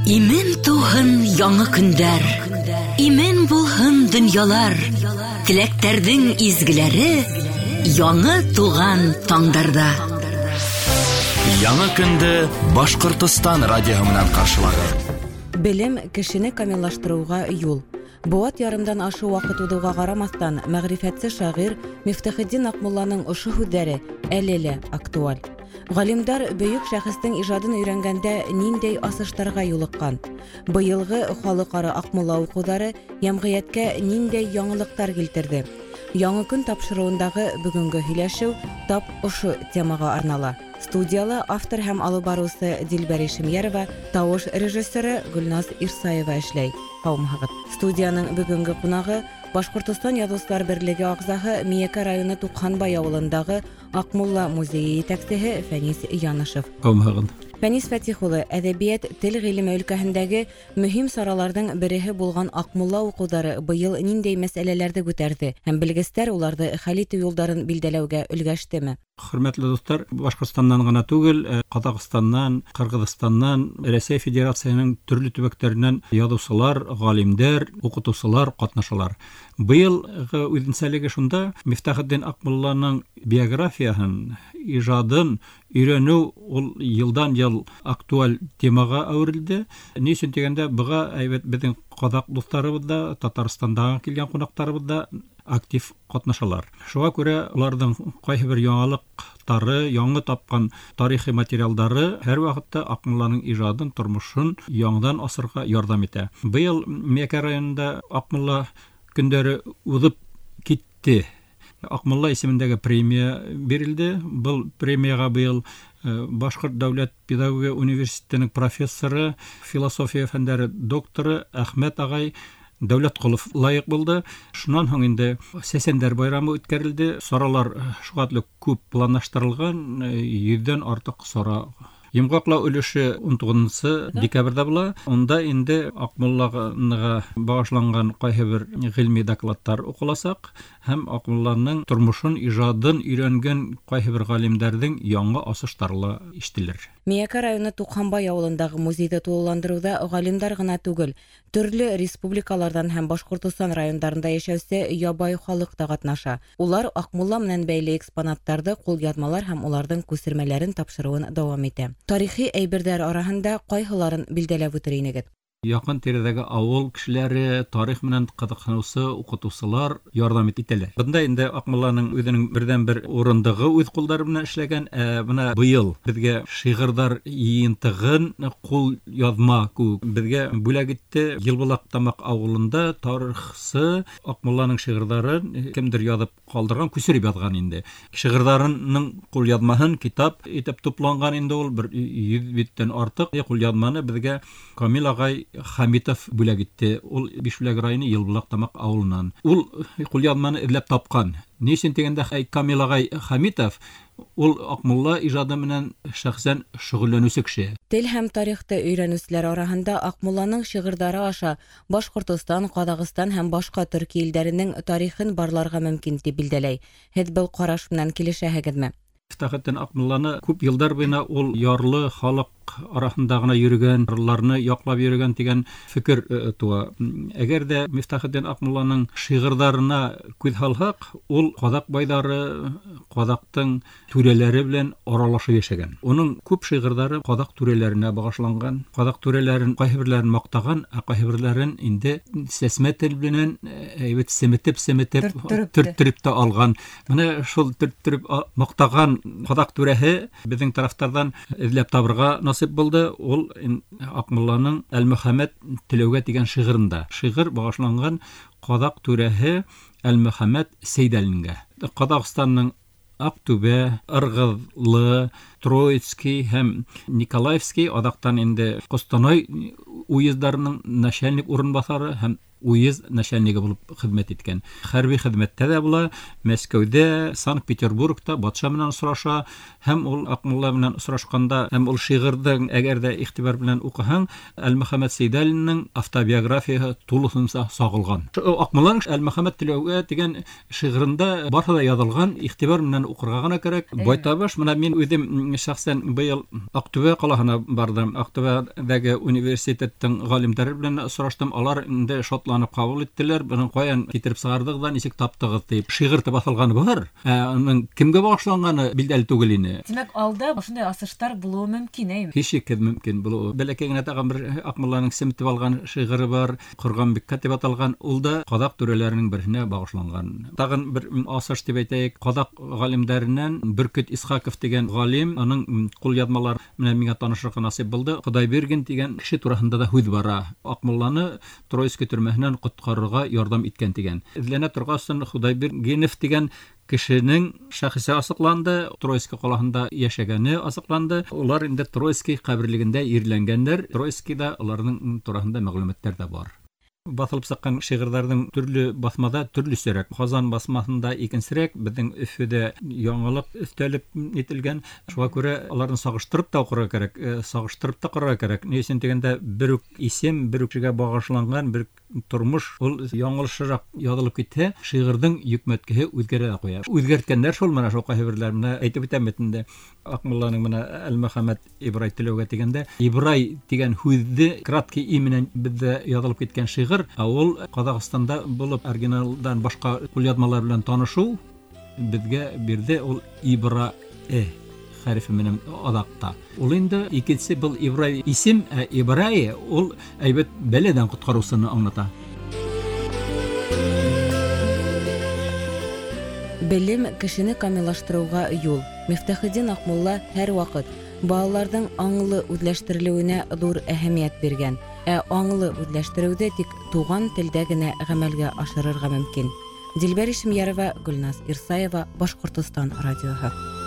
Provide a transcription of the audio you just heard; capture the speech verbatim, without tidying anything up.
Имен тыуһын яңы көндәр, имен булһын донъялар, теләктәрҙең изгеләре яңы тыуған таңдарҙа. Яңы көндө Башҡортостан радиоһы менән ҡаршылағыҙ. Белем кешене камиллаштырыуға юл. Быуат ярымдан ашыу ваҡыт уҙыуға ҡарамаҫтан, мәғрифәтсе шағир Мифтахетдин Аҡмулланың ошо һүҙҙәре әле лә актуаль. Ғалимдар бөйөк шәхестең ижадын өйрәнгәндә ниндәй асыштарға юлыҡҡан? Быйылғы халыҡ-ара Аҡмулла уҡыуҙары йәмғиәткә ниндәй яңылыҡтар килтерҙе? Яңы көн тапшырыуындағы бөгөнгө һөйләшеү тап ошо темаға арнала. Студияла автор һәм алып барыусы Дилбәр Ишемйәрова, тауыш режиссеры Гөлназ Ирсаева эшләй. Һаумыһығыҙ. Студияның бөгөнгө ҡунағы Башҡортостан Яҙыусылар берлеге ағзаһы, Миәкә районы Туҡһанбай ауылындағы Аҡмулла музейы етәксеһе Фәнис Янышев. Һаумыһығыҙ. Фәнис Фәтих улы, әҙәбиәт, тел ғилеме өлкәһендәге мөһим сараларҙың береһе булған Аҡмулла уҡыуҙары быйыл ниндәй мәсьәләләрҙе күтәрҙе һәм белгестәр уларҙы хәл итеү юлдарын билдәләүгә өлгәштеме? Хөрмәтле дуҫтар, Башҡортостандан ғына түгел, э, Ҡаҙағстандан, Ҡырғыҙстандан, Рәсәй Федерацияһының төрлө төбәктәренән яҙыусылар, ғалимдәр, уҡытыусылар ҡатнашалар. Быйылғы үҙенсәлеге шунда, Мифтахетдин Аҡмулланың биографияһын, ижадын өйрәнеү ул йылдан йыл актуаль темаға әүерелде. Ни өсөн тигәндә, быға әйбәт беҙҙең ҡаҙаҡ дуҫтарыбыҙ да, Татарстандан килгән ҡунаҡтарыбыҙ да актив ҡатнашалар. Шуға күрә уларҙың ҡайһы бер яңылыҡтары, яңы тапҡан тарихи материалдары һәр ваҡытта Аҡмулланың ижадын, тормошон яңынан асырға ярҙам итә. Быйыл Миәкә районында Аҡмулла көндәре уҙып китте. Аҡмулла исемендәге премия бирелде. Был премияға быйыл, э, Башҡорт дәүләт педагогия университетының профессоры, философия фәндәре докторы Әхмәт ағай Дәүләтҡолов лайыҡ булды. Шунан һуң инде Сәсәндәр байрамы үткәрелде. Саралар шуға хәтле күп планлаштырылған, э, йөҙҙән артыҡ сара. Йомғаҡлау өлөшө ун туғыҙынсы декабрҙә була. Унда инде Аҡмуллаға бағышланған ҡайһы бер ғилми докладтар уҡыласаҡ һәм Аҡмулланың тормошон, ижадын өйрәнгән ҡайһы бер ғалимдәрҙең яңы асыштары ла ишетелер. Миәкә районы Туҡһанбай ауылындағы музейҙы тулыландырыуҙа ғалимдар ғына түгел, төрлө республикаларҙан һәм Башҡортостан райондарында йәшәүсе ябай халыҡ та ҡатнаша. Улар Аҡмулла менән бәйле экспонаттарҙы, ҡулъяҙмалар һәм уларҙың күсермәләрен тапшырыуын дауам итә. Тарихи әйберҙәр араһында ҡайһыларын билдәләп үтер инегеҙ? Яҡын тирәҙәге ауыл кешеләре, тарих менән ҡыҙыҡһыныусы уҡытыусылар ярҙам итәләр. Бында инде Аҡмулланың үҙенең берҙән-бер урындығы үҙ ҡулдары менән эшләгән. Ә бына быйыл беҙгә шиғырҙар йыйынтығын ҡул яҙма кеүек беҙгә бүләк итте. Йылбулаҡ Тамаҡ ауылында тарихсы Аҡмулланың шиғырҙарын кемдер яҙып ҡалдырған, күсереп яҙған инде. Шиғырҙарының ҡул яҙмаһын китап итеп тупланған инде ул бер йөҙ биттән артыҡ ҡул яҙманы беҙгә Камил ағай Хамитов бүләк итте. Ул Бишбүләк районы Йылбулаҡ Тамаҡ ауылынан. Ул ҡулъяҙманы эҙләп тапҡан. Ни өсөн тигәндә, әй, Камил ағай Хамитов ул Аҡмулла ижады менән шәхсән шөғөлләнеүсе кеше. Тел һәм тарихты өйрәнеүселәр араһында Аҡмулланың шиғырҙары аша Башҡортостан, Ҡаҙағстан һәм башҡа төрки илдәренең тарихын барларға мөмкин тип билдәләй. Һеҙ был ҡараш менән килешәһегеҙме? Мифтахетдин Аҡмулланы күп йылдар буйына ул ярлы халыҡ араһында ғына йөрөгән, ярлыларны яҡлап йөрөгән тигән фекер, э, тыуа. Әгәр ҙә Мифтахетдин Аҡмулланың шиғырҙарына күҙ һалһаҡ, ул ҡаҙаҡ байҙары, ҡаҙаҡтың түрәләре белән аралашып йәшәгән. Уның күп шиғырҙары ҡаҙаҡ түрәләренә бағышланған. Ҡаҙаҡ түрәләрен ҡайһы берләрен маҡтаған, ә ҡайһы берләрен инде сәсмә тел менән, э, әйбәт семетеп-семетеп Төрттөрөп тә. төрттөрөп тә алған. Бына шул төрттөрөп а-, маҡтаған ҡаҙаҡ түрәһе беҙҙең тарафтарҙан эҙләп табырға насип булды. Ул ин-, Аҡмулланың Әлмөхәмәт Теләүгә тигән шиғырында. Шиғыр бағышланған ҡаҙаҡ түрәһе Әлмөхәмәт Сәйҙәлингә. Ҡаҙағстандың Аҡтүбә, Ырғыҙлы, Троицкий һәм Николаевский, аҙаҡтан инде Ҡостанай уездарының начальник урынбаҫары һәм уезд начальнигы булып хеҙмәт иткән. Хәрби хеҙмәттә дә була, Мәскәүҙә, Санкт-Петербургта батша менән осраша һәм ул Аҡмулла менән осрашҡанда һәм ул шиғырҙың әгәр ҙә иғтибар белән уҡыһаң, Әлмөхәмәт Сейдалинның автобиографияһы тулыһынса сағылған. Аҡмулланың Әлмөхәмәт Теләүгә тигән шиғырында барыһы ла яҙылған, иғтибар менән уҡырға ғына кәрәк. Байтабыш, мына мин үҙем шәхсән быйыл Аҡтүбә ҡалаһына барҙым. Аҡтүбәҙәге университеттың ғалимдары белән осраштым. Алар инде шатланып ҡабул иттеләр. Бының ҡаян китереп сығарҙығыҙ ҙа, нисек таптығыҙ тип. Шиғыр тип баҫылғаны бар, ә уның кемгә бағышланғаны билдәле түгел ине. Тимәк, алда ошондай асыштар булыуы мөмкин, әйме? Һис шикһеҙ мөмкин булыуы. Бәләкәй генә тағын бер Аҡмулланың семетеп алған шиғыры бар, Ҡорғанбиккә тип аталған, ул да ҡаҙаҡ түрәләренең береһенә бағышланған. Тағын бер асыш тип әйтәйек, ҡаҙаҡ ғалимдәренән Бөркөт Исхаков тигән ғалим, уның ҡулъяҙмалары менән миңә танышырға насип булды. Хоҙайбирген тигән кеше тураһында да һүҙ бара. Аҡмулланы Троицкий төрмәһенән ҡотҡарырға ярҙам иткән тигән. Эҙләнә торғасын Хоҙайбиргенов тигән кешенең шәхесе асыҡланды, Троицкий ҡалаһында йәшәгәне асыҡланды. Улар инде Троицкий ҡәберлегендә ерләнгәндәр. Троицкийҙа уларҙың тураһында мәғлүмәттәр ҙә бар. Баҫылып сыҡҡан шиғырҙарҙың төрлө баҫмаҙа төрлөсәрәк. Ҡазан баҫмаһында икенсерәк, беҙҙең Өфөҙә яңылыҡ өҫтәлеп ителгән. Шуға күрә уларны сағыштырып та уҡырға кәрәк, сағыштырып та ҡарарға кәрәк. Ни өсөн тигәндә, бер үк исем, бер үк кешегә бағышланған бер тормош ул яңылышыраҡ яҙылып китһә, шиғырҙың йөкмәткеһе үҙгәрә лә ҡуя. Үҙгәрткәндәр шул менә шул ҡайһы берҙәр менә әйтеп үтәм бит инде. Аҡмулланың менә Әлмөхәмәт Ибрай Теләүгә тигәндә, Ибрай тигән һүҙҙе краткий и менән беҙҙә яҙылып киткән шиғыр, ә ул Ҡаҙағстанда булып оригиналдан башҡа ҡулъяҙмалар белән танышыу беҙгә бирҙе ул Ибра э хәрефе менән аҙаҡта. Ул инде икенсе был Ибрай исем, ә Ибрай ул әйбәт бәләдән ҡотҡарыусыны аңлата. Белем кешене камиллаштырыуға юл. Мифтахетдин Аҡмулла һәр ваҡыт балаларҙың аңлы үҙләштерелеүенә ҙур әһәмиәт биргән. Ә аңлы үҙләштереүҙе тик туған телдә генә ғәмәлгә ашырырға мөмкин. Дилбәр Ишемйәрова, Гөлназ Ирсаева, Башҡортостан радиоһы.